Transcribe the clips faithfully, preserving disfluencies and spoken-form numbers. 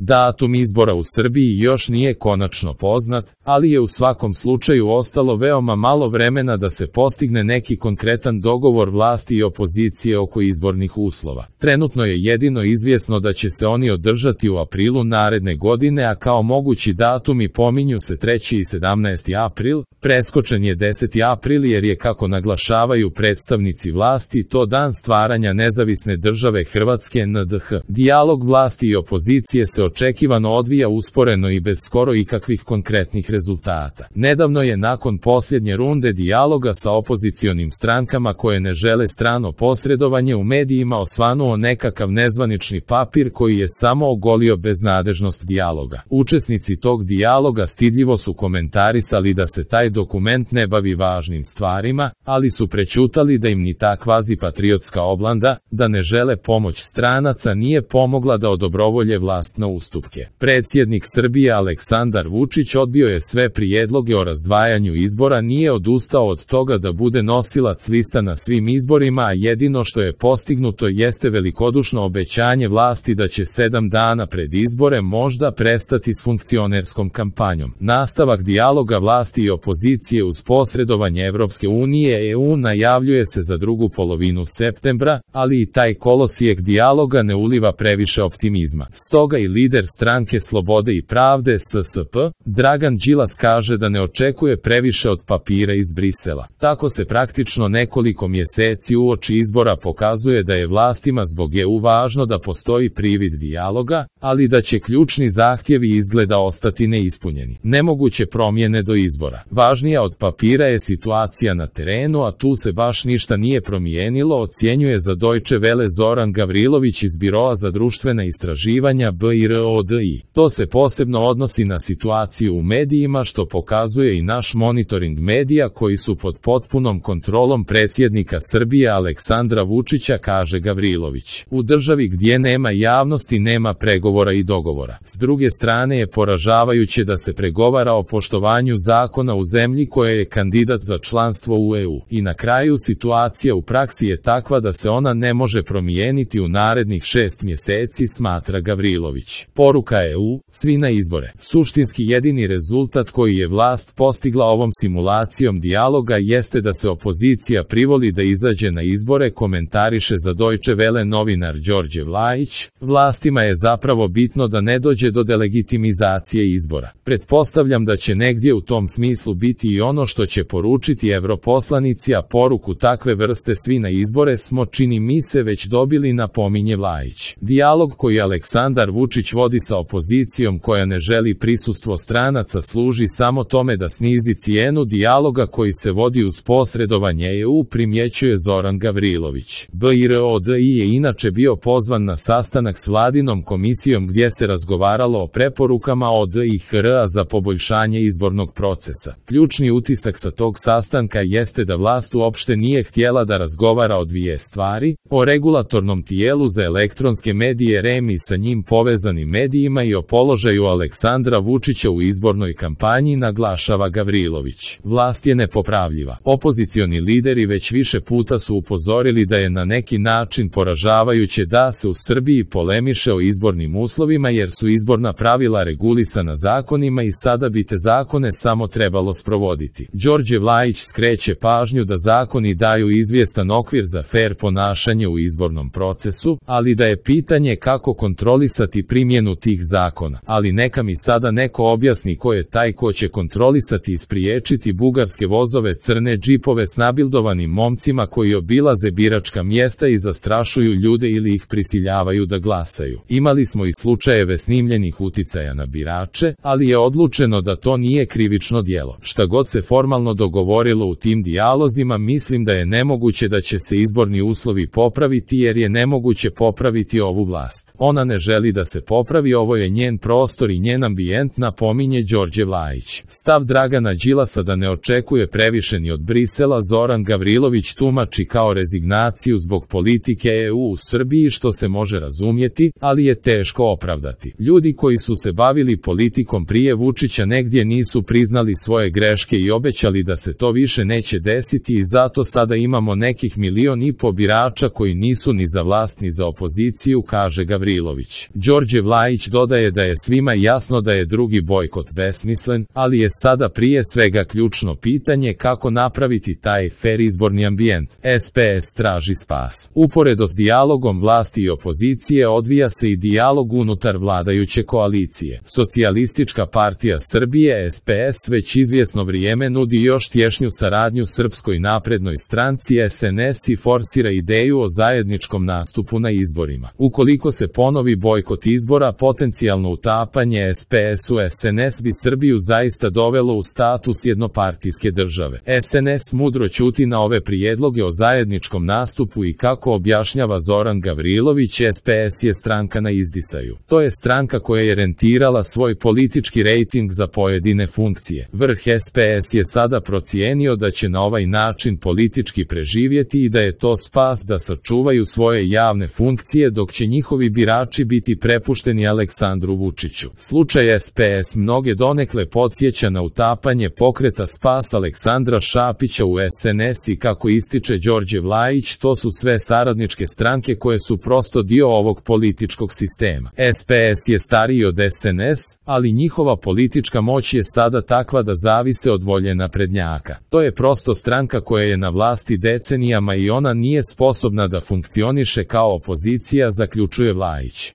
Datum izbora u Srbiji još nije konačno poznat, ali je u svakom slučaju ostalo veoma malo vremena da se postigne neki konkretan dogovor vlasti i opozicije oko izbornih uslova. Trenutno je jedino izvjesno da će se oni održati u aprilu naredne godine, a kao mogući datumi pominju se treći i sedamnaesti april, preskočen je deseti april jer je, kako naglašavaju predstavnici vlasti, to dan stvaranja nezavisne države Hrvatske N D H. Dijalog vlasti i opozicije se očekivano odvija usporeno i bez skoro ikakvih konkretnih rezultata. Nedavno je nakon posljednje runde dijaloga sa opozicionim strankama koje ne žele strano posredovanje u medijima osvanuo nekakav nezvanični papir koji je samo ogolio beznadežnost dijaloga. Učesnici tog dijaloga stidljivo su komentarisali da se taj dokument ne bavi važnim stvarima, ali su prećutali da im ni ta kvazi patriotska oblanda, da ne žele pomoć stranaca, nije pomogla da odobrovolje vlast na ustupke. Predsjednik Srbije Aleksandar Vučić odbio je sve prijedloge o razdvajanju izbora, nije odustao od toga da bude nosilac lista na svim izborima, a jedino što je postignuto jeste velikodušno obećanje vlasti da će sedam dana pred izbore možda prestati s funkcionerskom kampanjom. Nastavak dijaloga vlasti i opozicije uz posredovanje Evropske unije E U najavljuje se za drugu polovinu septembra, ali i taj kolosijek dijaloga ne uliva previše optimizma. Stoga i lider stranke Slobode i pravde S S P, Dragan Đilas, kaže da ne očekuje previše od papira iz Brisela. Tako se praktično nekoliko mjeseci uoči izbora pokazuje da je vlastima zbog E U važno da postoji privid dijaloga, ali da će ključni zahtjevi izgleda ostati neispunjeni. Nemoguće promjene do izbora. Važnija od papira je situacija na terenu, a tu se baš ništa nije promijenilo, ocjenjuje za Deutsche Welle Zoran Gavrilović iz Biroa za društvena istraživanja B I R O D I. To se posebno odnosi na situaciju u medijima, što pokazuje i naš monitoring medija koji su pod potpunom kontrolom predsjednika Srbije Aleksandra Vučića, kaže Gavrilović. U državi gdje nema javnosti nema pregovora i dogovora. S druge strane je poražavajuće da se pregovara o poštovanju zakona u zemlji koja je kandidat za članstvo u E U. I na kraju situacija u praksi je takva da se ona ne može promijeniti u narednih šest mjeseci, smatra Gavrilović. Poruka E U, svi na izbore. Suštinski jedini rezultat koji je vlast postigla ovom simulacijom dijaloga jeste da se opozicija privoli da izađe na izbore, komentariše za Deutsche Welle novinar Đorđe Vlajić. Vlastima je zapravo bitno da ne dođe do delegitimizacije izbora. Pretpostavljam da će negdje u tom smislu biti i ono što će poručiti europoslanici, a poruku takve vrste svi na izbore smo, čini mi se, već dobili, napominje Vlajić. Dijalog koji Aleksandar Vučić vodi sa opozicijom koja ne želi prisustvo stranaca služi samo tome da snizi cijenu dijaloga koji se vodi uz posredovanje E U, primjećuje Zoran Gavrilović. B I R O D I je inače bio pozvan na sastanak s vladinom komisijom gdje se razgovaralo o preporukama O D I H R-a za poboljšanje izbornog procesa. Ključni utisak sa tog sastanka jeste da vlast uopšte nije htjela da razgovara o dvije stvari, o regulatornom tijelu za elektronske medije R E M i sa njim povezanim medijima i o položaju Aleksandra Vučića u izbornoj kampanji, naglašava Gavrilović. Vlast je nepopravljiva. Opozicioni lideri već više puta su upozorili da je na neki način poražavajuće da se u Srbiji polemiše o izbornim uslovima jer su izborna pravila regulisana zakonima i sada bi te zakone samo trebalo sprovoditi. Đorđe Vlajić skreće pažnju da zakoni daju izvjestan okvir za fer ponašanje u izbornom procesu, ali da je pitanje kako kontrolisati primjenu tih zakona. Ali neka mi sada neko objasni ko je taj ko će kontrolisati i spriječiti bugarske vozove, crne džipove s nabildovanim momcima koji obilaze biračka mjesta i zastrašuju ljude ili ih prisiljavaju da glasaju. Imali smo i slučajeve snimljenih uticaja na birače, ali je odlučeno da to nije krivično djelo. Šta god se formalno dogovorilo u tim dijalozima, mislim da je nemoguće da će se izborni uslovi popraviti jer je nemoguće popraviti ovu vlast. Ona ne želi da se popravi, ovo je njen prostor i njen ambijent, napominje Đorđe Vlajić. Stav Dragana Đilasa da ne očekuje previše ni od Brisela Zoran Gavrilović tumači kao rezignaciju zbog politike E U u Srbiji, što se može razumjeti, ali je teško opravdati. Ljudi koji su se bavili politikom prije Vučića negdje nisu priznali svoje greške i obećali da se to više neće desiti i zato sada imamo nekih milion i po birača koji nisu ni za vlast ni za opoziciju, kaže Gavrilović. Đorđe Vlajić Vlajić dodaje da je svima jasno da je drugi bojkot besmislen, ali je sada prije svega ključno pitanje kako napraviti taj fer izborni ambijent. S P S traži spas. Uporedo s dijalogom vlasti i opozicije odvija se i dijalog unutar vladajuće koalicije. Socijalistička partija Srbije S P S već izvjesno vrijeme nudi još tješnju saradnju Srpskoj naprednoj stranci S N S i forsira ideju o zajedničkom nastupu na izborima. Ukoliko se ponovi bojkot izbora, potencijalno utapanje S P S u S N S bi Srbiju zaista dovelo u status jednopartijske države. S N S mudro ćuti na ove prijedloge o zajedničkom nastupu i kako objašnjava Zoran Gavrilović, S P S je stranka na izdisaju. To je stranka koja je rentirala svoj politički rejting za pojedine funkcije. Vrh S P S je sada procijenio da će na ovaj način politički preživjeti i da je to spas da sačuvaju svoje javne funkcije dok će njihovi birači biti prepušteni Aleksandru Vučiću. Slučaj S P S mnoge donekle podsjeća na utapanje pokreta Spas Aleksandra Šapića u S N S i kako ističe Đorđe Vlajić, to su sve saradničke stranke koje su prosto dio ovog političkog sistema. S P S je stariji od S N S, ali njihova politička moć je sada takva da zavise od volje naprednjaka. To je prosto stranka koja je na vlasti decenijama i ona nije sposobna da funkcioniše kao opozicija, zaključuje Vlajić.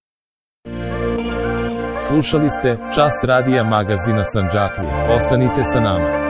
Slušali ste Čas radija magazina Sandžaklije. Ostanite sa nama.